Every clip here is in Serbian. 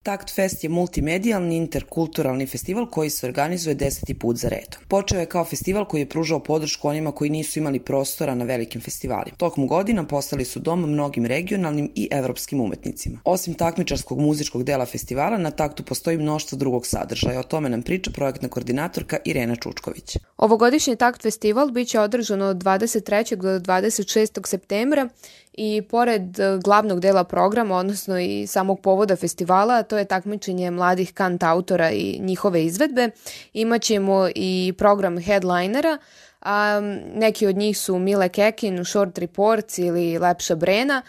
Takt Fest je multimedijalni interkulturalni festival koji se organizuje 10. put za redom. Počeo je kao festival koji je pružao podršku onima koji nisu imali prostora na velikim festivalima. Tokom godina postali su dom mnogim regionalnim i evropskim umetnicima. Osim takmičarskog muzičkog dela festivala, na Taktu postoji mnoštvo drugog sadržaja. O tome nam priča projektna koordinatorka Irena Čučković. Ovogodišnji Takt festival biće održan od 23. do 26. septembra i pored glavnog dela programa, odnosno i samog povoda festivala, to je takmičenje mladih kantautora i njihove izvedbe, imaćemo i program headlinera, a neki od njih su Mile Kekin, Short Reports ili Lepša Brena.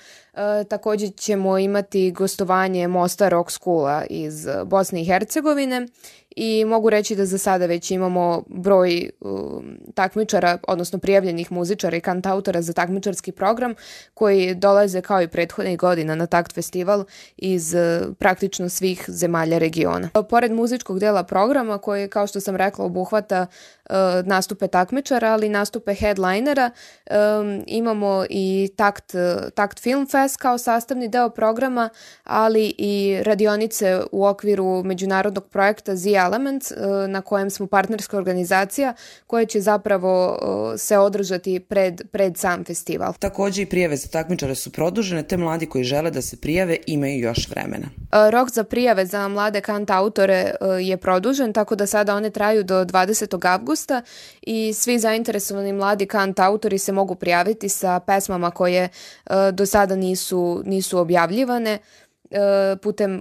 Također ćemo imati gostovanje Mosta Rock Schoola iz Bosne i Hercegovine i mogu reći da za sada već imamo broj takmičara, odnosno prijavljenih muzičara i kantautora za takmičarski program koji dolaze kao i prethodnih godina na Takt festival iz praktično svih zemalja regiona. Pored muzičkog dela programa koji, kao što sam rekla, obuhvata nastupe takmičara, ali i nastupe headlinera, imamo i Takt Film Fest kao sastavni deo programa, ali i radionice u okviru međunarodnog projekta The Elements, na kojem smo partnerska organizacija koja će zapravo se održati pred sam festival. Također i prijave za takmičare su produžene, te mladi koji žele da se prijave imaju još vremena. Rok za prijave za mlade kantautore je produžen, tako da sada one traju do 20. avgusta i svi zainteresovani mladi kantautori se mogu prijaviti sa pesmama koje do sada nisu objavljivane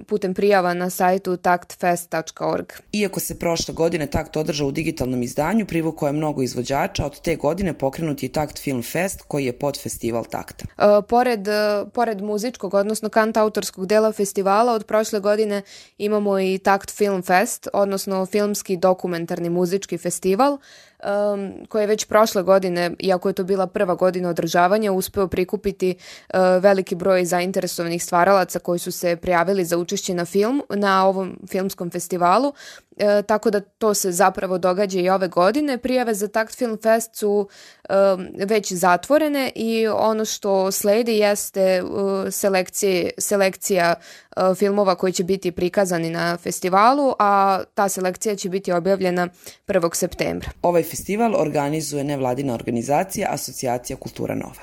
putem prijava na sajtu taktfest.org. Iako se prošle godine Takt održao u digitalnom izdanju, privukao je mnogo izvođača, od te godine pokrenut je Takt Film Fest koji je podfestival Takta. Pored muzičkog, odnosno kantautorskog dela festivala, od prošle godine imamo i Takt Film Fest, odnosno filmski dokumentarni muzički festival, koji je već prošle godine, iako je to bila prva godina održavanja, uspeo prikupiti veliki broj zainteresovanih stvaralaca koji su se prijavili za učešće na ovom filmskom festivalu, tako da to se zapravo događa i ove godine. Prijave za Takt Film Fest su već zatvorene i ono što sledi jeste selekcija filmova koji će biti prikazani na festivalu, a ta selekcija će biti objavljena 1. septembra. Ovaj festival organizuje nevladina organizacija Asocijacija Kultura Nova.